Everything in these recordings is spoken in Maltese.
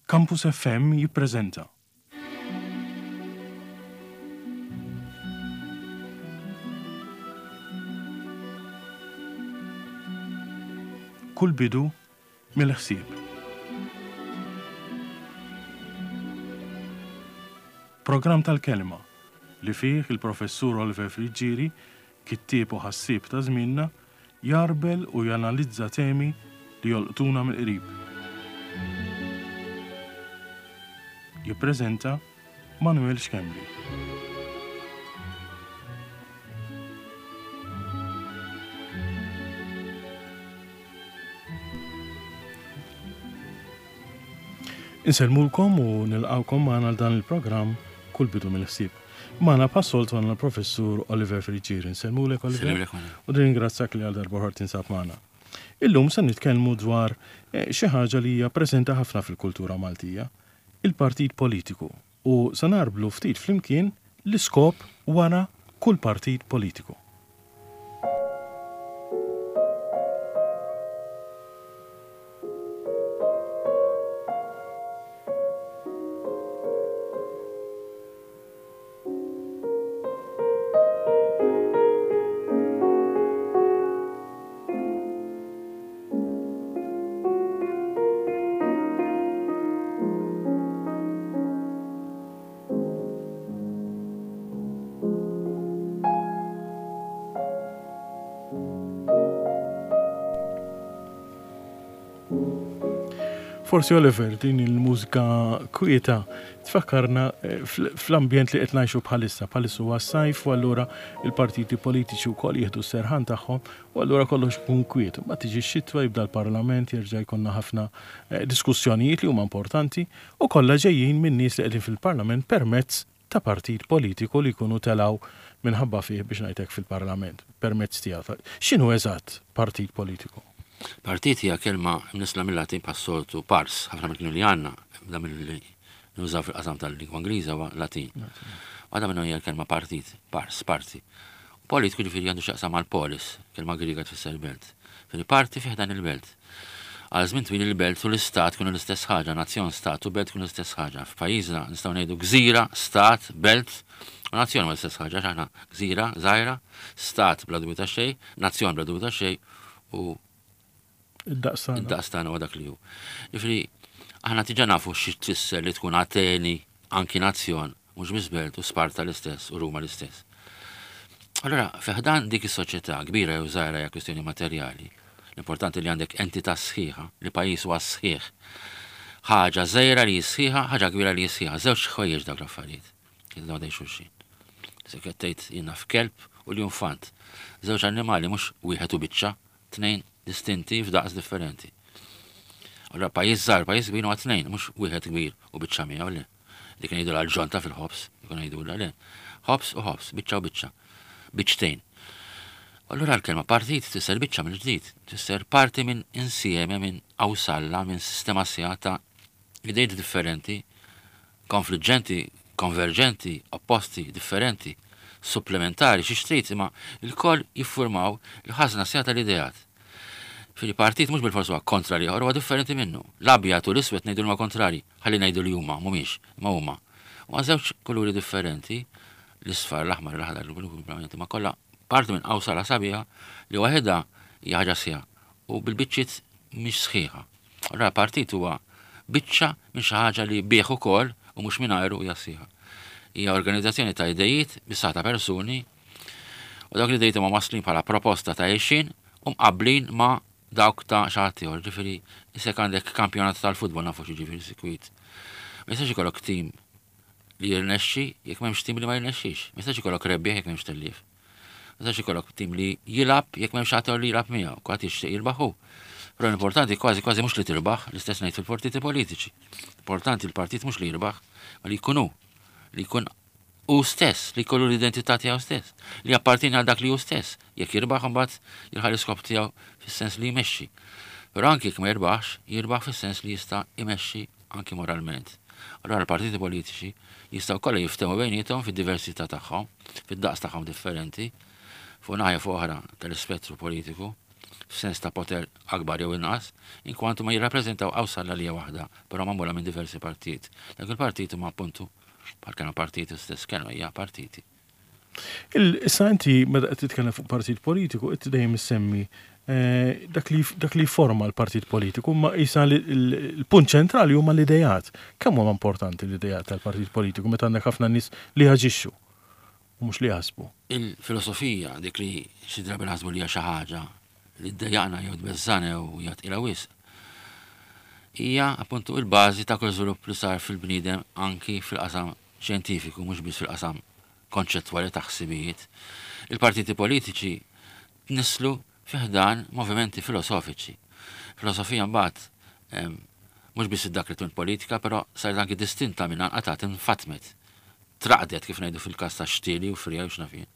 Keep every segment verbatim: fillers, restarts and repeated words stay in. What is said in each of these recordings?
Campus F M jippreżenta Kull bidu mill-ħsieb. Programm tal-kelma li fih il-professur Oliver Friggieri, kittieb u ħassieb ta' żmienna, jarbel u janalizza temi li jolqtuna mill-qrib. Jippreżenta Manuel Schembri. Insellmulkom u nilqawkom magħna għal dan il-programm Kull bidu mill-ħsieb. Magħna bħas-soltu għandna l-professur Oliver Friggieri. Insellmulek, Oliver. U nirringrazzjak li għal darba tinsab magħna. Illum se nitkellmu dwar eh, xi ħaġa li hija preżenti ħafna fil-kultura Maltija, il-partit politiku. U se narblu ftit flimkien l-iskop wara kull partit politiku. Forsi, Oliver, din il-mużika kwieta tfakkarna eh, fl-ambjent li qed ngħixu bħalissa. Bħalissa huwa sajf u allura il-partiti politiċi wkoll jieħdu s-serħan tagħhom u allura kollox ikun kwiet. Ma tiġi x-xitwa, jibda l-parlament, jerġa' jkollna ħafna eh, diskussjonijiet li huma importanti u kollha ġejjin minn nies li qegħdin fil-parlament permezz ta' partit politiku li jkunu telaw minħabba fih, biex ngħidlek, fil-parlament permezz tiegħu. X'inhu eżatt partit politiku? Partit hija kelma mnissla mill-Latin bħas-soltu, pars, ħafna mill li għandna, da mill-li nużaw fil-qasam tal-lingwa Ingliża huwa Latin. Waħda minnhom hija l-kelma partit, pars, parti. Politiku ġifieri għandu x'jaqsam mal polis, kelma Griega tfisser belt. Ġifieri parti fih dan il-belt. Għal żmien twil il-belt u l-istat kienu l-istess ħaġa, nazzjon, stat u belt kienu l-istess ħaġa. F'pajjiżna nistgħu ngħidu gżira, stat, belt, u nazzjon huwa l-istess ħaġa, aħna gżira, żgħira, stat bla dubju ta' xejn, nazzjon bla dubju ta' xejn u id-daqs tagħna. Id-daqs tagħna huwa dak li hu. Ġifieri aħna diġà nafu xi tfisser li tkun Ateni anki nazzjon, mhux biss belt, u Sparta l-istess u Ruma l-istess. Allora, fi ħdan dik is-soċjetà kbira jew żgħira hija kwistjoni materjali. L-importanti li għandek entità sħiħa, li pajjiż huwa sħiħ. Ħaġa żgħira li sħiħa, ħaġa kbira li sħiħa, żewġ ħwejjeġ dawk l-affarijiet. Jiddaw dej xulxin. Se tgħid jiena f'kelb u l-infant. Żewġ annimali, mhux wieħed u biċċa, tnejn distinti f'daqs differenti. Allora pajjiż żgħar, pajjiż kbir huwa tnejn, mhux wieħed kbir u biċċa miegħu, le. Dik ngħidu l-ġonta fil-ħobż, jkun ngħidu le. Ħobż u ħobż, biċċa u biċċa. Biċċtejn. Allura l-kelma partit tfisser biċċa mill-ġdid, tfisser parti minn insieme, minn awsalla, minn sistema sħiħa ta' idejt differenti, konfliġġenti, konverġenti, opposti, differenti, supplementari, xi trid, imma il-koll jiffurmaw il-ħażna sħiħa tal-ideat. Fil-partit mhux bil-forsu huwa kontra l-ieħor, huwa differenti minnu. L-abjad u l-iswed ngħidu huma kontrari, ħalli ngħidu li huma mhumiex, ma huma. Huma żewġ kuluri differenti, l-isfar, l-aħmar, l-aħdar, l-blu, ma kollha parti minn qawsala sabiħa li waħedha hija ħaġa sħiħa u bil-biċċiet mhix sħiħa. Allora partit huwa biċċa minn xi ħaġa li bih ukoll u mhux mingħajru hija sħiħa. Hija organizzazzjoni ta' idejiet bis ta' persuni u dawk l-idejiet huma maslin bħala proposta ta' għixin u mqablin ma' dawk ta' xi ħadd ieħor. Ġifieri isek għandek kampjonat tal-futbol, nafu xi ġifieri sikwit. Ma jistax ikollok tim li jirnexxi jekk m'hemmx tim li ma jirnexxix. Ma jistax ikollok rebbieħ jekk m'hemmx tellief. Ma jistax ikollok tim li jilgħab jekk m'hemmx ħadd li jilgħab miegħu, kulħadd jixtieq jirbaħ hu. Però l-importanti kważi kważi mhux li tirbaħ, l-istess ngħid fil-partiti politiċi. Importanti l-partit mhux li jirbaħ, ma li jkun hu, li jkun hu stess, li jkollu l-identità tiegħu stess, li appartieni għal dak li hu stess. Jekk jirbaħ, imbagħad jilħaq l-iskop tiegħu fis-sens li jmexxi. Però anki jekk ma jirbaħx, jirbaħ fis-sens li jista' jmexxi anki moralment. Allora l-partiti politiċi jistgħu kollha jiftehmu bejniethom fid-diversità tagħhom, fid-daqs tagħhom differenti, fuq naħa fuq oħra tal-ispettru politiku. f'sens ta' poter akbar jew inqas, inkwantu ma jirrappreżentaw qawsalla li hija waħda, però magħmula minn diversi partijiet. Dak il-partit huma appuntu bħal kienu partiti stess, kienu hija partiti. Issa inti meta qed titkellem fuq partit politiku, inti dejjem issemmi eh, dak li dak li forma l-partit politiku, ma isa l-punt ċentrali huma l-idejat. Kemm huma importanti l-idejat tal-partit politiku meta għandek ħafna nies li jaġixxu u mhux li jaħsbu? Il-filosofija, dik li xi drabi naħsbu li hija xi ħaġa li ddejjaqna jew tbeżżana jew hija tqila wisq, hija appuntu il-bażi ta' kull żvilupp li sar fil-bniedem anki fil-qasam xjentifiku, mhux biss fil-qasam konċettwali ta' ħsibijiet. Il-partiti politiċi tnisslu fi ħdan movimenti filosofiċi. Filosofija mbagħad mhux biss dak li tkun politika, però saret anki distinta minn anqatat, infatmet. Traqdet, kif ngħidu fil-każ ta' xtieli u frija u x'naf jien.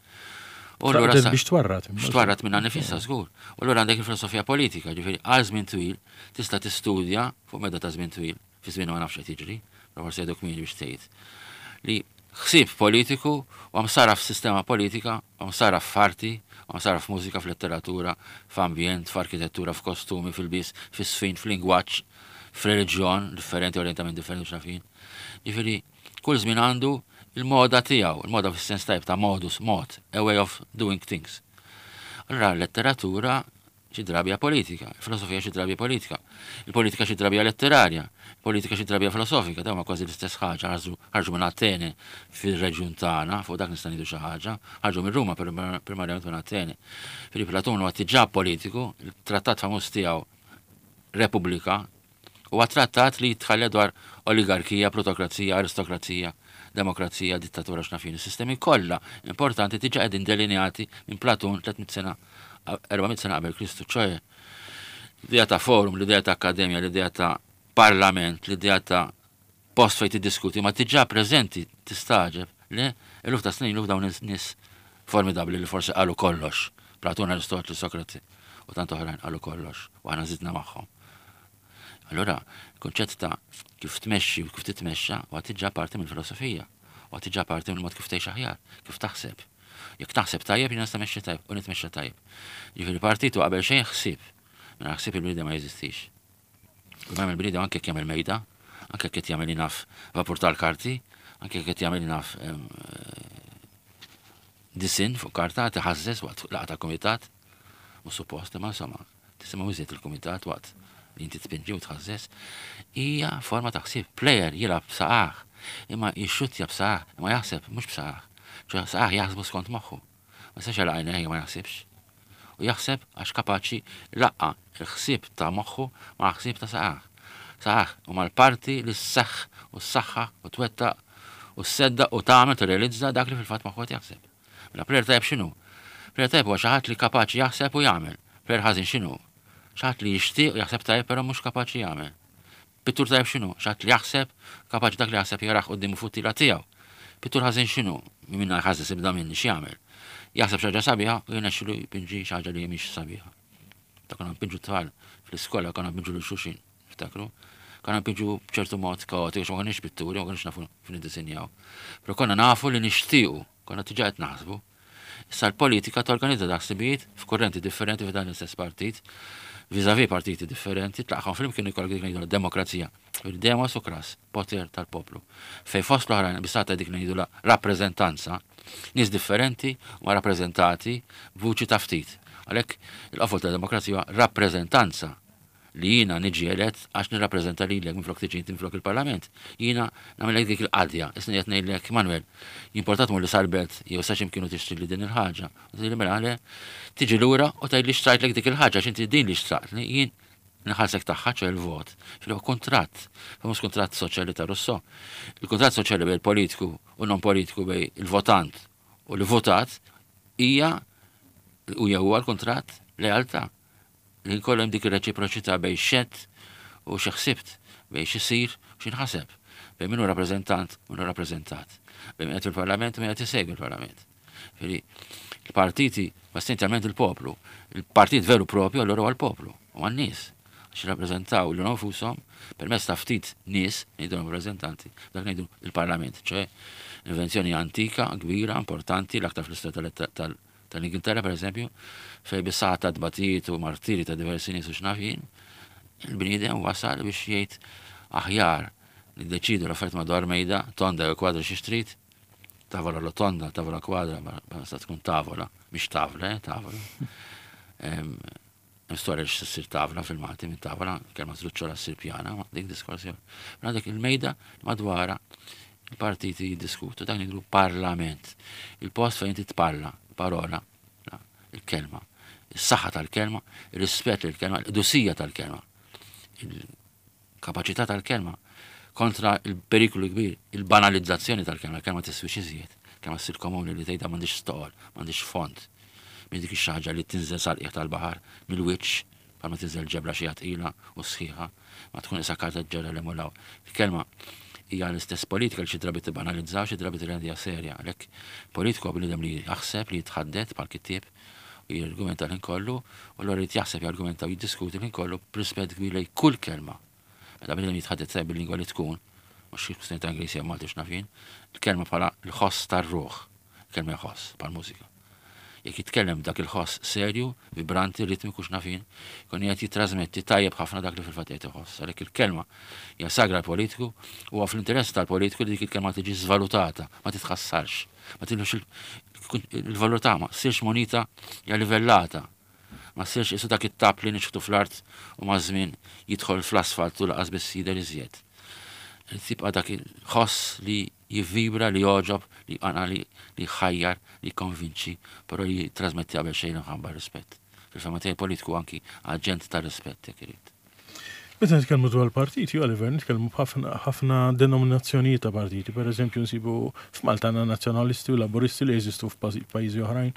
U allura biex twarrat. Biex twarrat minna nifisha, żgur. U allura għandek il-filosofija politika, ġifieri għal żmien twil tista' tistudja fuq medda ta' żmien twil, fi żmien ma nafx qed jiġri, però forsi jgħiduk min biex tgħid. Li ħsieb politiku u għam sara f'sistema politika, għam sara f'arti, għam sara f'mużika, f'letteratura, f'ambjent, f'arkitettura, f'kostumi, fil-bis, fis-sfin, f'lingwaġġ, f'reliġjon differenti, orientament differenti, x'naf jien. Ġifieri, kull żmien għandu il-moda tiegħu, il-moda fis-sens tajb ta' modus, mod, a way of doing things. Allora letteratura xi drabi politika, filosofija xi drabi politika, il-politika xi drabi letterarja, politika xi drabi filosofika, dawn kważi l-istess ħaġa, ħarġu minn Atene fir-reġjun tagħna, fuq dak nista' ngħidu xi ħaġa, ħarġu minn Ruma, primarjament minn Atene. Filip Platun huwa diġà politiku, il-trattat famuż tiegħu Repubblika huwa trattat li jitħalla dwar oligarkija, plutokrazija, aristokrazija, demokrazija, dittatura, x'naf jien. Sistemi kollha importanti diġà qegħdin delineati minn Platun tliet mitt sena, erba' mitt sena qabel Kristu, ċoe l-idea ta' forum, l-idea ta' akkademja, l-idea ta' parlament, l-idea ta' post fejn tiddiskuti, ma diġà preżenti, tistagħġeb li eluf ta' snin ilu dawn nies formidabbli li forsi qalu kollox. Platun, Aristotli, Sokrati u tant oħrajn qalu kollox u aħna żidna magħhom. Allora, il-konċett ta' kif tmexxi u kif titmexxa huwa diġà parti mill-filosofija, huwa diġà parti mill-mod kif tgħix aħjar, kif taħseb. Jekk taħseb tajjeb, jien nista' mexxi tajjeb u nitmexxa tajjeb. Ġifieri partitu qabel xejn ħsieb. Minn ħsieb il-bniedem ma jeżistix. U il bniedem anke jekk jagħmel mejda, anke jekk qed jagħmel naf vapur tal-karti, anke jekk qed jagħmel naf disin fuq karta, tiħażżeż waqt laqgħa ta' kumitat, u suppost, ma insomma, tisimgħu iżjed il-kumitat waqt li inti tpinġi u tħażżeż, hija forma ta' ħsieb. Player jilgħab b'saqajh, imma jixxuttja b'saqajh, imma jaħseb mhux b'saqajh. Ċoè saqajh jaħsbu skont moħħu. Ma jistax jagħlaq għajnejh ma jaħsibx. U jaħseb għax kapaċi laqqa il-ħsieb ta' moħħu ma' ħsieb ta' saqajh. Saqajh huma l-parti li sseħħ u s-saħħa u twettaq u s-sedda u tagħmel, tirrealizza dak li fil-fatt moħħu qed jaħseb. Mela player tajjeb x'inhu? Player tajjeb huwa xi ħadd li kapaċi jaħseb u jagħmel. Player ħażin x'inhu? Xi ħadd li jixtieq u jaħseb tajjeb, però mhux kapaċi jagħmel. Pittur tajjeb x'inhu? Xi ħadd li jaħseb, kapaċi dak li jaħseb jarah qudiemu fuq tila tiegħu. Pittur ħażin x'inhu? Minna ħażin sibda minni x'jagħmel? Jaħseb xi ħaġa sabiħa u jirnexxilu jpinġi xi ħaġa li mhix sabiħa. Ta' konna npinġu tfal fl-iskola, konna npinġu lil xulxin, ftakru? Konna npinġu b'ċertu mod kaotiku, ma konniex pitturi, ma konniex nafu kif niddisinjaw. Però konna nafu li nixtiequ, konna diġà qed naħsbu. Issa l-politika torganizza ħsibijiet f'kurrenti differenti f'dan l-istess partit, vis-à-vis partiti differenti, tlaqqagħhom flimkien, ikollok dik ngħidu demokrazija. Il-demos u kras, poter tal-poplu. Fej fost l-oħrajn bisata dik ngħidu la rappreżentanza, nies differenti ma rappreżentati b'vuċi ta' ftit. Għalhekk il-qofol ta' demokrazija rappreżentanza, li jiena niġi elett għax nirrappreżenta lilek minflok tiġi inti minflok il-Parlament. Jiena nagħmel dik il-qadja. Issa qed ngħidlek, "Manuel, jimportat mur li sal-belt jew sa x'imkienu tixtri li din il-ħaġa." U tgħidli mela le, tiġi lura u tgħidli xtrajtlek dik il-ħaġa, x'inti din li xtrajtli, jien nħallsek tagħha, ċoè il-vot. Fil kuntratt, famuż kuntratt soċjali ta' Rousseau. Il-kuntratt soċjali bejn il-politiku u non politiku, bejn il-votant u l-votat, hija u huwa l-kuntratt lealtà li jkollhom dik ir-reċiproċità bejn x'għedt u xi ħsibt, bejn x'isir u x'inħaseb, bejn min hu rappreżentant u min hu rappreżentat, bejn min qed fil-Parlament u min qed isegwi l-Parlament. Fili, il-partiti, essenzjalment il-poplu, il-partit veru propju allura huwa l-poplu, u għan-nies, għax jirrappreżentaw lilhom infushom permezz ta' ftit nies, ngħidu rappreżentanti, dak ngħidu il-Parlament, ċoè invenzjoni antika, kbira, importanti, l-aktar fl-istorja tal Tal-Ingilterra, per eżempju, fejn bis-saħħa ta' tbatijiet u martiri ta' diversi nies u x'naf jien, il-bniedem wasal biex jgħid aħjar li deċidu l-affarijiet madwar mejda, tonda jew kwadra xi trid, tavola lo tonda, tavola kwadra, ma sa tkun tavola, mhix tavla, eh, tavola. Hemm storja li ssir tavla fil-Malti minn tavola, kelma żluċċola ssir pjana, ma dik diskors ieħor. Għandek il-mejda madwara il-partiti jiddiskutu, dak ngħidu parlament. Il-post fejn inti tparla, parola, il-kelma, is-saħħa tal-kelma, ir-rispett lill-kelma, il-qdusija tal-kelma, il-kapaċità tal-kelma kontra il-periklu kbir, il-banalizzazzjoni tal-kelma, il-kelma tiswix iżjed, kelma ssir komuni li tgħidha m'għandix stoqol, m'għandix fond. Minn dik ix-xi li tinżel sal-qiegħ tal-baħar mill-wiċċ, bħalma tinżel ġebla xi tqila u sħiħa, ma tkun isa karta ġerra li mulaw. Il-kelma hija l-istess politika li xi drabi tibbanalizzaw, xi drabi tirrendiha serja. Għalhekk politiku bniedem li jaħseb, li jitħaddet bħal kittieb u jirgumenta l kollu, u allura jrid jaħseb, jargumenta u jiddiskuti l kollu b'rispett kbir lejn kull kelma. Meta bniedem jitħaddet tajjeb bil-lingwa li tkun, mhux kwistjoni ta' Ingliż jew Malti x'naf jien, il-kelma bħala l-ħoss tar-ruħ, kelma ħoss bħal mużika. Jekk jitkellem dak il-ħoss serju, vibranti, ritmiku x'naf jien, kun qed jittrażmetti tajjeb ħafna dak li fil-fatt qed iħoss. Għalhekk il-kelma hija sagra politiku u huwa fl-interess tal-politiku li dik il-kelma tiġi żvalutata, ma titħassarx, ma tilux il-valur tagħha, ma ssirx monita hija livellata. Ma ssirx isu dak it-tap li nixħtu fl-art u maż-żmien jidħol fl-asfalt u laqas biss jidher iżjed. Tibqa' dak il-ħoss li jivvibra, li jogħġob, li għana li ħajjar, li konvinċi, però li trasmetti qabel xejn imħabba rispett. Fil-fehma tiegħi politiku anki aġent ta' rispett jekk irid. Meta nitkellmu dwar partiti, Oliver, nitkellmu b'ħafna denominazzjonijiet ta' partiti. Per eżempju, nsibu f'Malta għandna nazzjonalisti u laburisti li jeżistu f'pajjiżi oħrajn.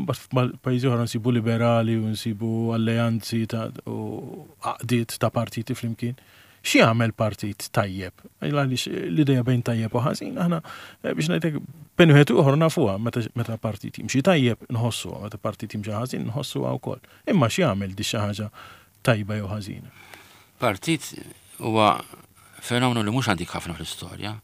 Mbagħad f'pajjiżi oħra nsibu liberali u nsibu alleanzi ta' u għaqdiet ta' partiti flimkien. Xi jagħmel partit tajjeb? Għaliex l-idea bejn tajjeb u ħażin, aħna biex ngħidlek bejn wieħed u ieħor nafuha meta partit jimxi tajjeb nħossuha, meta partit jimxi ħażin nħossuha wkoll. Imma xi jagħmel di xi ħaġa tajba jew ħażina? Partit huwa fenomenu li mhux antik ħafna fl-istorja.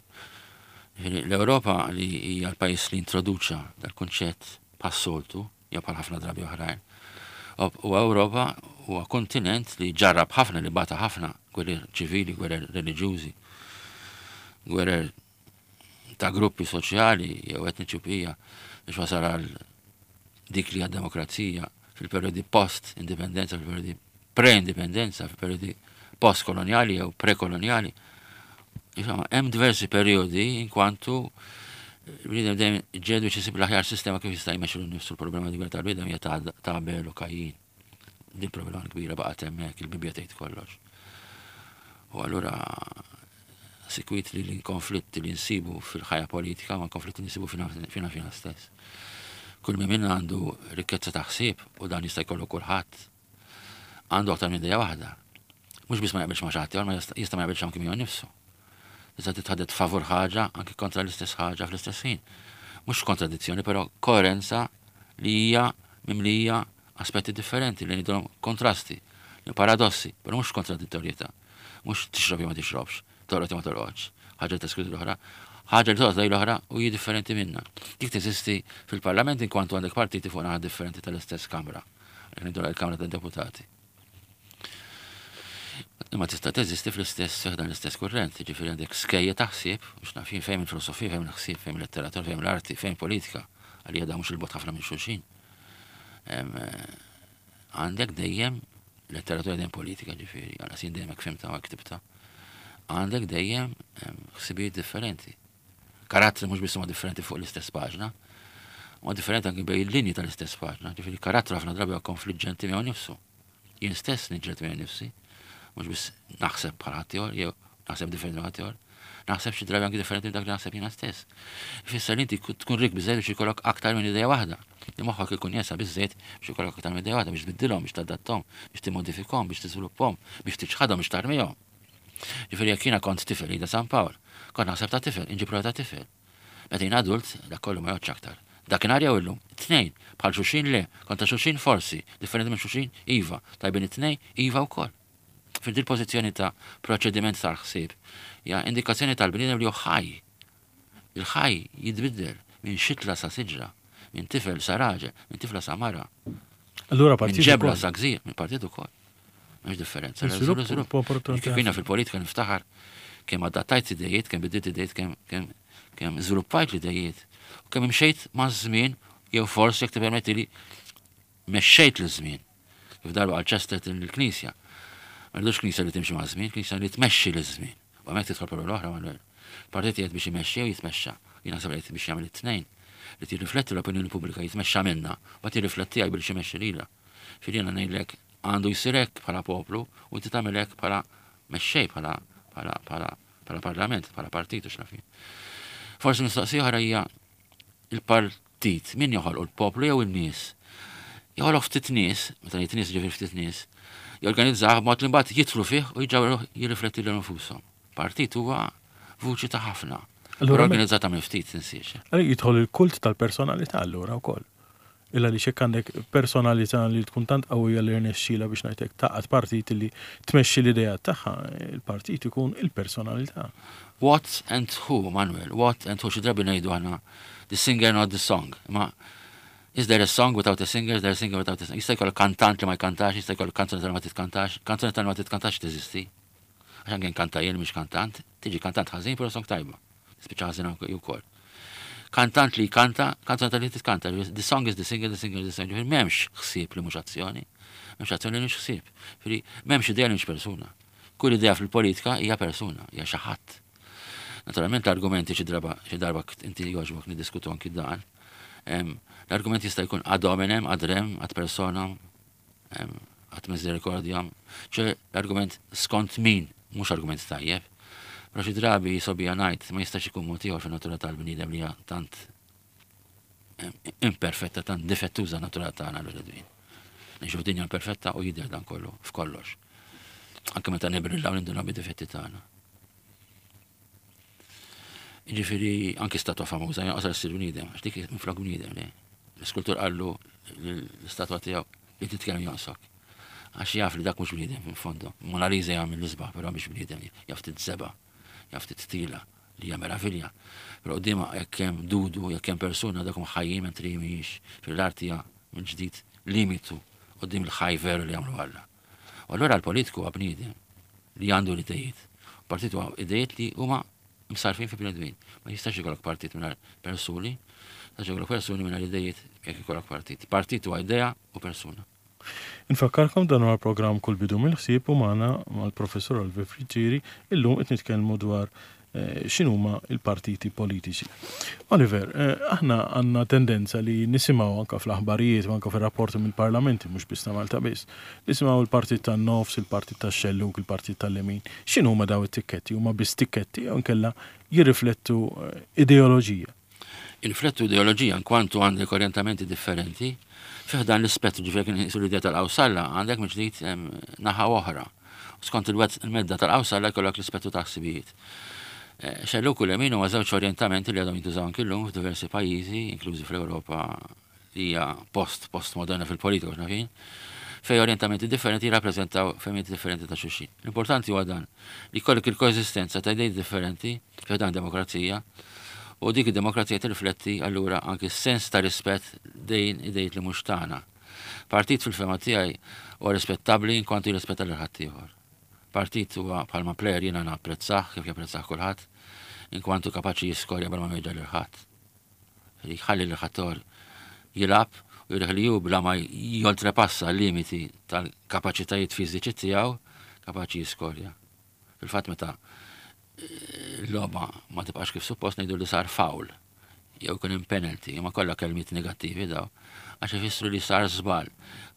L-Ewropa li hija l-pajjiż li introduċa dal-kunċett bħas-soltu, jew bħal ħafna drabi oħrajn. U Ewropa huwa kontinent li ġarrab ħafna, li bata ħafna gwerer ċivili, gwerer reliġjużi, gwerer ta' gruppi soċjali jew etniċi bqija biex wasal għal dik li hija demokrazija fil-perjodi post-indipendenza, fil-perjodi pre-indipendenza, fil-perjodi post-koloniali jew pre-koloniali. Insomma, hemm diversi perjodi in kwantu il-bniedem dejjem ġed biex isib l-aħjar sistema kif jista' jmexxi nnifsu. L-problema kbira tal-bniedem hija ta' Abel u Kajjin. Din problema kbira baqgħet hemmhekk, il-Bibbja tgħid kollox. U allura sikwit li l-konflitti li nsibu fil-ħajja politika ma konflitti li nsibu fina fina stess. Kull min minna għandu rikkezza ta' ħsieb u dan jista' jkollu kulħadd. Għandu aktar minn idea waħda. Mhux biss ma jaqbilx ma' xi ħadd, ma jista' ma jaqbilx anki miegħu nnifsu. Tista' titħaddet favur ħaġa anki kontra l-istess ħaġa fl-istess ħin. Mhux kontradizzjoni, però koerenza li hija mimlija aspetti differenti li ngħidulhom kontrasti, paradossi, però mhux kontradittorjetà. Mhux tixrob jew ma tixrobx, torqod jew ma torqodx, ħaġa teskludi l-oħra, ħaġa li toqgħod l-oħra u hi differenti minna. Dik teżisti fil-Parlament in kwantu għandek partiti fuq naħa differenti tal-istess kamra. Ngħidu l-Kamra tad-Deputati. Imma tista' teżisti fl-istess dan l-istess kurrent, ġifieri għandek skejja ta' ħsieb, mhux naf jien fejn il-filosofija, fejn il-ħsieb, fejn il-letteratura, fejn l-arti, fejn politika, għalija da mhux il-bogħod ħafna minn xulxin. Għandek dejjem letteratura dejjem politika, ġifieri, għala sin dejjem hekk fhimta u hekk ktibta. Għandek dejjem ħsibijiet differenti. Karattri mhux biss huma differenti fuq l-istess paġna, huma differenti anke bejn il-linji tal-istess paġna, ġifieri karattru ħafna drabi huwa konfliġġenti miegħu nnifsu. Jien stess niġġieled miegħi nnifsi, mhux biss naħseb bħal ħaddieħor, jew naħseb differenti minn ħaddieħor, naħseb xi drabi anke differenti minn dak li naħseb jiena stess. Ifisser li inti tkun rik biżżejjed biex ikollok aktar minn idea waħda. Li moħħok ikun jesa biżżejjed biex ikollok aktar minn idea waħda, biex tbiddilhom, biex tadatthom, biex timmodifikhom, biex tiżviluppahom, biex tiċħadhom, biex tarmihom. Ġifieri jekk jiena kont tifel Ida San Pawl, kont naħseb ta' tifel, inġib ta' tifel. Meta jien adult, dak kollu ma jgħodx aktar. Dakinhar jew illum, tnejn, bħal xulxin le, kontra xulxin forsi, differenti minn xulxin, iva, tajbin it-tnejn, iva wkoll. Fil din pożizzjoni ta' proċediment tal-ħsieb, hija indikazzjoni tal-bniedem li hu ħaj. Il-ħaj jitbiddel minn xitla sa siġra, Minn tifel sa raġel, minn tifla sa mara. Allura partit. Minn ġebla sa gżir, minn partit ukoll. Mhux differenza. Kif jiena fil-politika niftaħar kemm adattajt idejiet, kemm bidilt idejiet, kemm kemm kemm żviluppajt l-idejiet, u kemm imxejt ma' żmien, jew forsi jekk tippermetti li mexxejt l-żmien. Kif darba għal Chesterton il-Knisja. Ma rridux Knisja li timxi ma' żmien, Knisja li tmexxi l-żmien. U hemmhekk tidħol problema oħra, Manuel. Partit jgħid biex imexxi u jitmexxa. Jien naħseb qed biex jagħmel it-tnejn. Li tirrifletti l-opinjoni pubblika jitmexxa minna, ma tirrifletti għaj biex imexxi lilha. Fil jiena ngħidlek għandu jsir hekk bħala poplu u inti tagħmel hekk bħala mexxej, bħala bħala bħala bħala parlament, bħala partit u x'naf jien. Forsi mistoqsija oħra hija il-partit min joħolqu, l-poplu jew in-nies? Joħolqu ftit nies, meta ngħid nies ġifieri ftit nies, jorganizzah b'mod li mbagħad jidħlu fih u jiġu jirrifletti lil nfushom. Partit huwa vuċi ta' ħafna. Allura organizzata minn ftit, tinsiex. Allura jidħol il-kult tal-personalità allura wkoll. Illa li xek għandek personalità li tkun tant qawwija li rnexxila biex ngħidlek taqgħad partit li tmexxi l-idea tagħha, il-partit ikun il-personalità. What and who, Manuel, what and who, xi drabi ngħidu aħna the singer, not the song. Ma is there a song without a singer, is there a singer without a song? Jista' jkollok kantant li ma jkantax, jista' jkollok kanzunetta li ma titkantax, kanzunetta li ma titkantax teżisti. Għax anke nkanta jien mhix kantant, tiġi kantant ħażin però song tajba. Spiċċa ħażin wkoll. Kantant li jkanta, kanzunetta li titkanta, the song is the singer, the singer is the song. Ġifieri m'hemmx ħsieb li mhux azzjoni, m'hemmx azzjoni li mhux ħsieb. Ġifieri m'hemmx idea li mhux persuna. Kull idea fil-politika hija persuna, hija xi ħadd. Naturalment l-argumenti xi darba xi darba inti jogħġbok niddiskutu anki dan. L-argument jista' jkun ad hominem, ad rem, ad personam, ad misericordiam. ċe l-argument skont min, mhux argument tajjeb. Però xi drabi sobija ngħid ma jistax ikun mod ieħor fin-natura tal-bniedem li hija tant imperfetta, tant difettuża natura tagħna l-bnedmin. Ngħixu f'dinja imperfetta u jidher dan kollu f'kollox. Anke meta nibrillaw ninduna bid-difetti tagħna. Ġifieri anki statwa famuża jonqos ssir bniedem, għax dik minflok bniedem li. L-iskultur qallu l-istatwa tiegħu li titkellem jonqsok. Għax jaf li dak mhux bniedem fil-fondo. Mona Lisa jagħmel l-isbaħ, però mhix bniedem, jaf tiżeba', jaf titila li hija meravilja. Però quddiemha jekk hemm dudu, jekk hemm persuna dak huma ħajjin mentri mhijiex. Fil-arti hija minn ġdid limitu quddiem il-ħaj veru li jagħmlu Alla. U allura l-politiku huwa bniedem li għandu l-idejiet. Partit huwa idejiet li huma msarfin fi bnedmin. Ma jistax ikollok partit mingħajr persuni, jistax ikollok persuni mingħajr idejiet jekk ikollok partit. Partit huwa idea u persuna. Infakkarkom dan huwa programm Kull Bidu mill-Ħsieb u magħna mal-Professur Oliver Friggieri illum qed nitkellmu dwar eh, x'inhuma il-partiti politiċi. Oliver, eh, aħna għandna tendenza li nisimgħu anka fl-aħbarijiet u anka fir-rapporti mill-parlamenti, mhux biss ta' Malta biss, nisimgħu il-partit tan-nofs, il-partit tax-xellug, il-partit tal-lemin. X'inhuma daw it-tikketti? Huma biss tikketti jew inkella jirriflettu eh, ideoloġija? Jirriflettu ideoloġija kwantu għandek orientamenti differenti. Fih dan l-ispettru, ġifieri kien jisu l-idea tal-qawsalla, għandek mill-ġdid naħa oħra. Skont il-medda tal-qawsalla jkollok l-ispettru ta' ħsibijiet. Xellug u lemin huma żewġ orientamenti li għadhom jintużaw anki llum f'diversi pajjiżi, inklużi fl-Ewropa li hija post postmoderna fil-politika x'naf jien, fej orientamenti differenti jirrappreżentaw fehmiet differenti ta' xulxin. L-importanti huwa dan li jkollok il-koeżistenza ta' idejat differenti fi dan demokrazija, u dik id-demokrazija tirrifletti allura anki s-sens ta' rispett dejn idejt li mhux tagħna. Partit fil-fehma tiegħi huwa rispettabbli in kwantu jirrispetta lil ħaddieħor. Partit huwa bħalma plejer jiena napprezzah kif japprezzah kulħadd, in kwantu kapaċi jiskorja bla ma jweġġa' lil ħadd. Jħalli lil ħaddieħor jilgħab u jurih li hu bla ma joltrepassa l-limiti tal-kapaċitajiet fiżiċi tiegħu kapaċi jiskorja. Fil-fatt meta l-logħba ma tibqax kif suppost ngħidu li sar foul jew ikun hemm penalty, imma kollha kelmiet negattivi daw, għax ifissru li sar żball,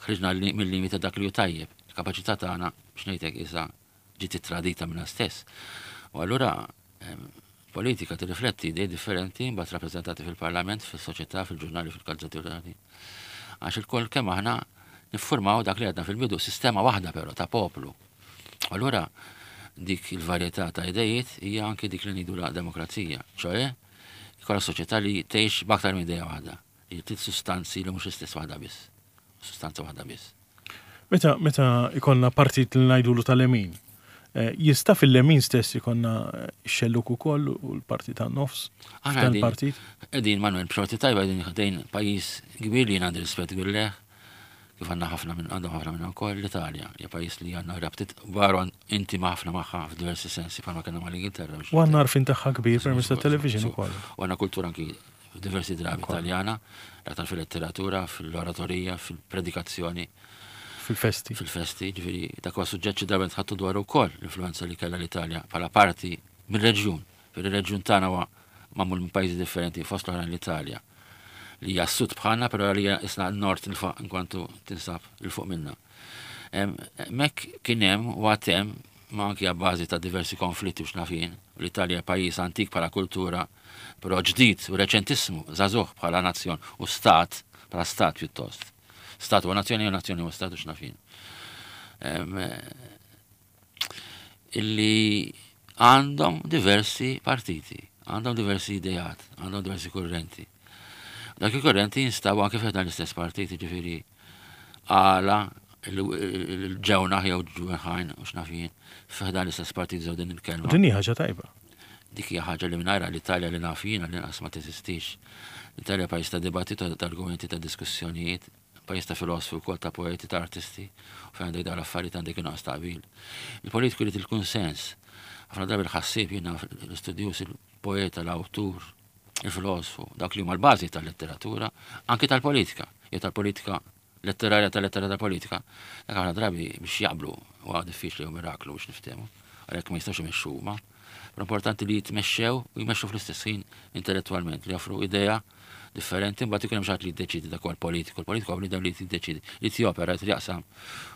ħriġna mill-limiti dak li hu tajjeb, il-kapaċità tagħna biex ngħidlek issa ġiet tradita minna stess. U allura politika tirrifletti idej differenti mbagħad rappreżentati fil-parlament, fis-soċjetà, fil-ġurnali, fil-gazzetti. Għax il-koll kemm aħna niffurmaw dak li għadna fil-bidu, sistema waħda però ta' poplu. Allura dik il-varjetà ta' idejiet hija anke dik li ngħidu la demokrazija, ċoe ikolla soċjetà li tgħix b'aktar minn idea waħda, li trid sustanzi li mhux l-istess waħda biss, sustanza waħda biss. Meta, meta ikollna partit li ngħidulu tal-lemin, Jista' fil-lemin stess ikonna xelluk ukoll u l-parti tan-nofs. Aħna partit. Qegħdin Manuel, b'xorti tajba qegħdin ħdejn pajjiż kbir li jien għandi rispett kbir leh, kif għandna ħafna minn għandhom ħafna minn ukoll l-Italja, hija pajjiż li għandna rabtiet kbar intima ħafna magħha f'diversi sensi bħalma kellna mal-Ingilterra. U għandna għarfien tagħha kbir permezz tat-television ukoll. U għandna kultura anki diversi drabi Italjana, l-aktar fil-letteratura, fil-oratorija, fil-predikazzjoni. Fil-festi. Fil-festi, ġifieri dak huwa suġġett xi darba nitħattu dwar ukoll l-influenza li kellha l-Italja bħala parti mir-reġjun. Fil-reġjun tagħna huwa magħmul minn pajjiżi differenti, fost l-oħrajn l-Italja, li hija s-sud bħalna, però li hija isna n-nord inkwantu tinsab 'il fuq minna. Mek kien hemm u għad hemm, ma anki bażi ta' diversi konflitti u x'naf jien, l-Italja pajjiż antik bħala kultura, però ġdid u reċentissimu, żagħżugħ bħala nazzjon u stat, bħala stat pjuttost. Stat u nazzjoni u nazzjoni u stat u x'naf jien. Illi għandhom diversi partiti, għandhom diversi idejat, għandhom diversi kurrenti. Dak il-kurrenti jinstabu anke fejn l-istess partiti, ġifieri għala l-ġewna jew ġwenħajn u x'naf jien f'dan l-istess partit żew din il-kelma. Din hija ħaġa tajba. Dik hija ħaġa li mingħajra l-Italja li naf jiena li nqas ma teżistix. L-Italja pajjiż ta' dibattitu, ta' argumenti, ta' diskussjonijiet, pajjiż ta' filosofi wkoll, ta' poeti, ta' artisti, u fejn għandek dawn l-affarijiet għandek inqas ta' qbil. Il-politiku jrid il-kunsens. Ħafna drabi l-ħassieb jiena l-istudjuż, il-poeta, l-awtur, il-filosofu, dak li huma l-bażi tal-letteratura, anki tal-politika, jew tal-politika letterarja tal-letteratura tal-politika, dak ħafna drabi biex jaqblu huwa diffiċli u miraklu biex niftehmu, għalhekk ma jistgħux imexxu huma. Però importanti li jitmexxew u jmexxu fl-istess ħin intellettwalment, li joffru idea differenti, mbagħad ikun hemm xi ħadd li jiddeċiedi, dak huwa l-politiku, il-politiku huwa bniedem li jiddeċiedi, li jopera, li jaqsam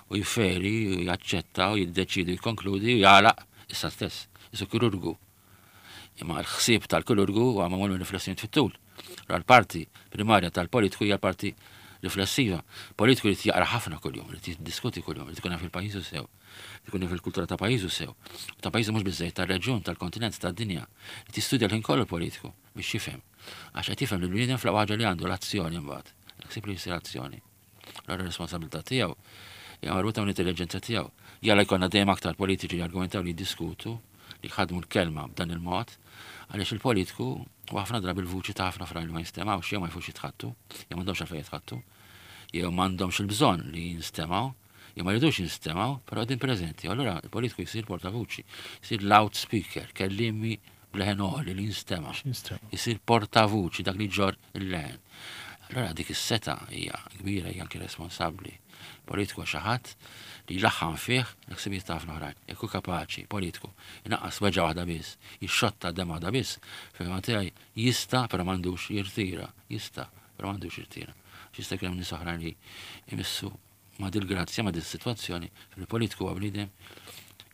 u jifferi, u jaċċetta u jiddeċiedi, jikkonkludi u jagħlaq issa stess, isu kirurgu. Imma l-ħsieb tal-kirurgu huwa magħmul minn riflessjoni fit-tul. L-parti primarja tal-politiku hija l-parti riflessiva. Politiku li jaqra ħafna kuljum, li jiddiskuti kuljum, li tkun fil-pajjiżu sew, li tkun fil-kultura ta' pajjiżu sew. U ta' pajjiżu mhux biżejjed, tar-reġjun, tal-kontinent, tad-dinja. Li tistudja l-ħin kollu politiku biex jifhem. Għax qed jifhem li l-bniedem fl-aqwa ħaġa li għandu l-azzjoni mbagħad. Ħsieb li jsir azzjoni. Allora r-responsabilità tiegħu hija marbuta mal-intelligenza tiegħu. Jalla jkollna dejjem aktar politiċi li argumentaw, li jiddiskutu, li jħadmu l-kelma b'dan il-mod, għaliex il-politiku u ħafna drabi l-vuċi ta' ħafna fra li ma jinstemgħux, jew ma jfux jitħattu, jew m'għandhomx għalfejn jitħattu, jew m'għandhomx il-bżonn li jinstemgħu, jew ma jridux jinstemgħu, però qegħdin preżenti. Allura il-politiku jsir portavuċi, jsir loudspeaker, kellimi bleħen għoli li jinstema'. Jsir portavuċi, dak li ġor il-leħen. Allora dik is-seta hija kbira, hija anki responsabbli. Politiku xi ħadd li jlaħħam fih l-ħsibijiet ta' ħafna oħrajn. Jekk hu kapaċi, politiku, inaqqas weġgħa waħda biss, jixxotta dem waħda biss, fil-fehma tiegħi jista' però m'għandux jirtira, jista' però m'għandux jirtira. Jista' jkun hemm nies oħrajn li jmissu ma' dil-grazzja, ma' dil-sitwazzjoni, fil-politiku huwa bniedem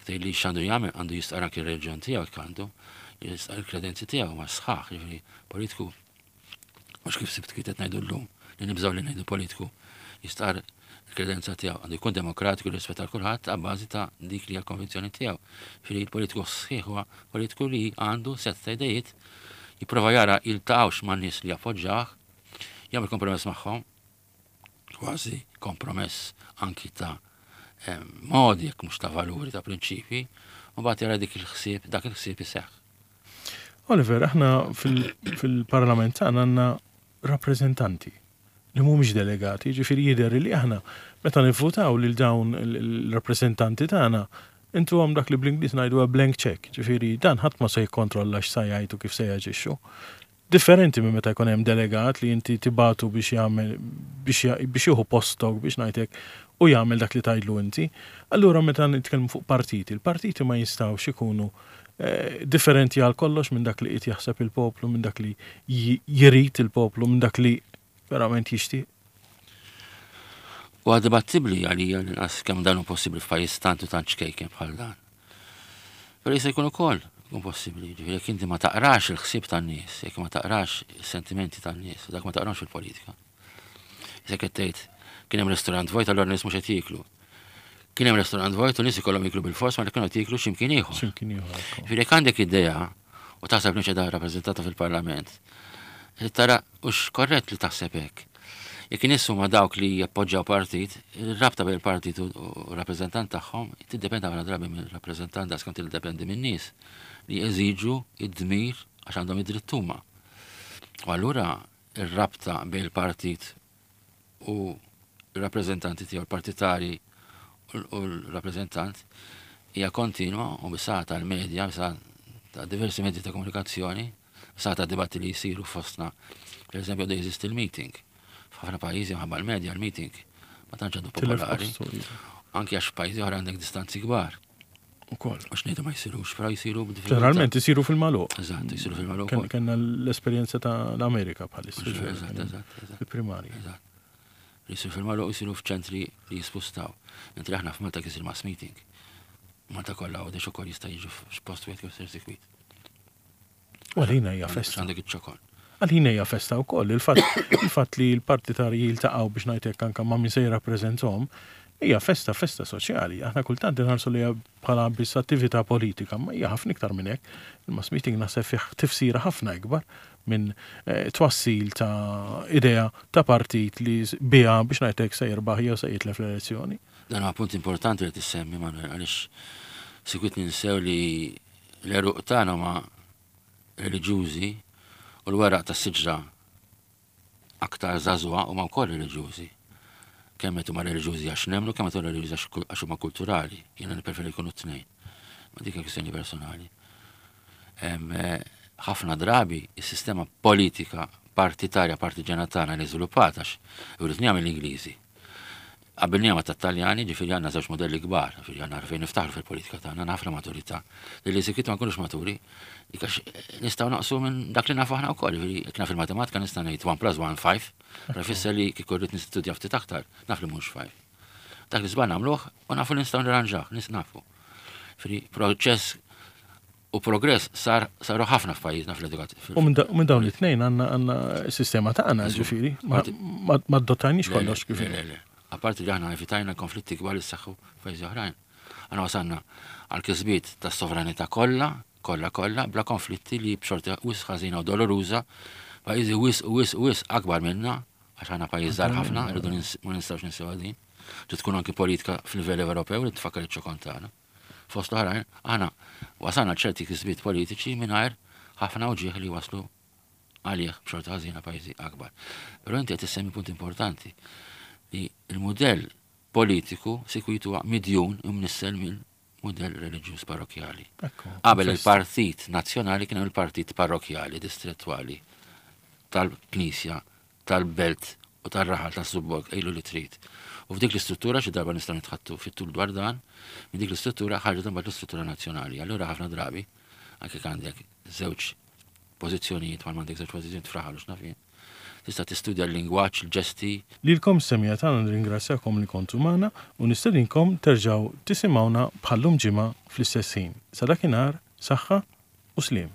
tgħid li x'għandu jagħmel, għandu jistqar anki r-reliġjon tiegħu jekk għandu, jistqar il-kredenzi tiegħu ma' sħaħ, jiġifieri politiku mhux kif sibt kif qed ngħidu llum, li nibżgħu li ngħidu politiku jistqar il-kredenza tiegħu, għandu jkun demokratiku rispett għal kulħadd għabbażi ta' dik li hija l-konvinzjoni tiegħu. Ġifieri il-politiku sħiħ huwa politiku li għandu set ta' idejiet, jipprova jara jiltaqgħux man nies li jappoġġjah, jagħmel kompromess magħhom, kważi kompromess anki ta' modi jekk mhux ta' valuri, ta' prinċipji, u mbagħad jara dik il-ħsieb, dak il-ħsieb iseħħ. Oliver, aħna fil-parlament tagħna għandna rappreżentanti li mhumiex delegati, ġifieri jidher li aħna meta nivvutaw lil dawn il-rappreżentanti tagħna intu għam dak li bl-Ingliż ngħidu blank check, ġifieri dan ħadd ma se jikkontrolla x'sa jgħidu kif se jaġixxu. Differenti minn meta jkun hemm delegat li inti tibatu biex jagħmel biex jieħu postok biex ngħidlek u jagħmel dak li tgħidlu inti. Allura meta nitkellmu fuq partiti, il-partiti ma jistgħux ikunu differenti għal kollox minn dak li qed jaħseb il-poplu, minn dak li jrid il-poplu, minn dak li verament jixtieq. Huwa dibattibbli għalija l-inqas kemm dan hu possibbli f'pajjiż tant u tant ċkejken bħal dan. Però jista' jkun ukoll jkun possibbli, ġifieri jekk inti ma taqrax il-ħsieb tan-nies, jekk ma taqrax is-sentimenti tan-nies, dak ma taqrax il-politika. Jekk qed tgħid kien hemm ristorant vojt allura nies mhux qed jieklu. Kien hemm ristorant vojt u nies ikollhom jieklu bil-fors ma li kienu qed jieklu x'imkien ieħor. X'imkien ieħor. Ġifieri jekk għandek idea u taħseb li mhux qiegħda rappreżentata fil-Parlament, tara hux korrett li taħseb hekk. Jekk in-nies huma dawk li jappoġġjaw partit, ir-rabta bejn il-partit u r-rappreżentant tagħhom tiddependi ħafna drabi mill-rappreżentant daqs kemm tiddependi min-nies li jeżiġu id-dmir għax għandhom id-dritt huma. U allura ir-rabta bejn il-partit u r-rappreżentanti tiegħu, l-partitari u l-rappreżentant hija kontinwa u bis-saħħa tal-medja, bis-saħħa ta' diversi medji ta' komunikazzjoni, bis-saħħa ta' dibatti li jsiru fostna. Per eżempju, għadu jeżisti l-meeting. F'ħafna pajjiżi minħabba l-medja l-meeting ma tantx għadu popolari. Anki għax pajjiżi oħra għandek distanzi kbar. Ukoll. Mhux ngħidu ma jsirux, però jsiru b'diffikultà. Ġeneralment isiru fil-magħluq. Eżatt, jsiru fil-magħluq. Kellna l-esperjenza ta' l-Amerika bħalissa. Eżatt, eżatt. Il-primarji. Eżatt. Jisiru fil-magħluq, jsiru f'ċentri li jispustaw. Mentri aħna f'Malta kisir mass meeting. Malta kollha u ukoll jista' jiġu f'post wieħed kif sir sikwit. U għalina hija festa. Għandek iċ-ċokon. Għalina hija festa wkoll. Il-fatt li l-partitarji jiltaqgħu biex ngħidlek anke ma' min se jirrappreżentahom hija festa, festa soċjali. Aħna kultant inħarsu li bħala biss attività politika, ma hija ħafna iktar minn hekk. Il-mass meeting naħseb fih tifsira ħafna ikbar minn eh, twassil ta' idea ta' partit li biha biex ngħidlek se jirbaħ jew se jitlef l-elezzjoni. Dan huwa punt importanti li tissemmi, Manuel, għaliex sikwit ninsew li l-għeruq tagħna huma reliġjużi u l-weraq tas-siġra aktar żagħżugħa huma wkoll reliġjużi. Kemm qed huma reliġjużi għax nemmnu, kemm qed huma reliġjużi għax huma kulturali. Jiena nippreferi jkunu t-tnejn. Ma dik kwistjoni personali. Eh, ħafna drabi is-sistema politika partitarja partiġana tagħna li żviluppat għax uritniha mill-Ingliżi. Qabilniha ma' tat-Taljani, ġifieri għandna żewġ modelli kbar, ġifieri għandna fejn niftaħru fil-politika tagħna, għandna ħafna maturità. Li sikwit ma nkunux maturi, għax nistgħu naqsu minn dak li nafu aħna wkoll, ġifieri jekk naf il-matematika nista' ngħid one plus one five, però jfisser li kieku rrid nistudja ftit aktar, naf li mhux five. Dak li żball nagħmluh u nafu li nistgħu nirranġah, nis nafu. Ġifieri proċess u progress sar saru ħafna f'pajjiżna fl-edukazzjoni. U minn dawn it-tnejn għandna għandna s-sistema tagħna, ġifieri, ma adottajniex kollox kif. Le, le, le. Apparti li aħna evitajna konflitti kbar li ssaħħu f'pajjiżi oħrajn. Aħna wasalna għal kisbiet tas sovranità kollha, kollha kollha, bla konflitti li b'xorta wisq ħażina u doloruża, pajjiżi wisq wisq wisq akbar minna, għax aħna pajjiż żgħar ħafna, rridu ma nistgħux ninsew din. Trid tkun anki politika fil-livell Ewropew li tfakkar iċ-ċokon tagħna. Fost l-oħrajn, aħna wasalna ċerti kisbiet politiċi mingħajr ħafna uġieħ li waslu għalih b'xorta ħażina pajjiżi akbar. Però inti qed issemmi punt importanti li il-modell politiku sikwit huwa midjun u mnissel mill-modell reliġjuż parrokjali. Qabel il-Partit Nazzjonali kien hemm il-Partit Parrokjali Distrettwali tal-Knisja, tal-Belt u tal-Raħal tas-Subborg, ejlu li trid. U f'dik l-istruttura xi darba nistgħu nitħattu fit-tul dwar dan, minn dik l-istruttura ħarġet imbagħad l-istruttura nazzjonali. Allura ħafna drabi anke għandek żewġ pożizzjonijiet, bħal m'għandek żewġ pożizzjonijiet f'raħal u x'naf jien. Tista' tistudja l-lingwaġġ, il-ġesti. Lilkom semmiegħa tagħna nirringrazzjakom li kontu magħna u nistedinkom terġgħu tisimgħuna bħallum ġimgħa fl-istess ħin. Sa dakinhar, saħħa u sliem.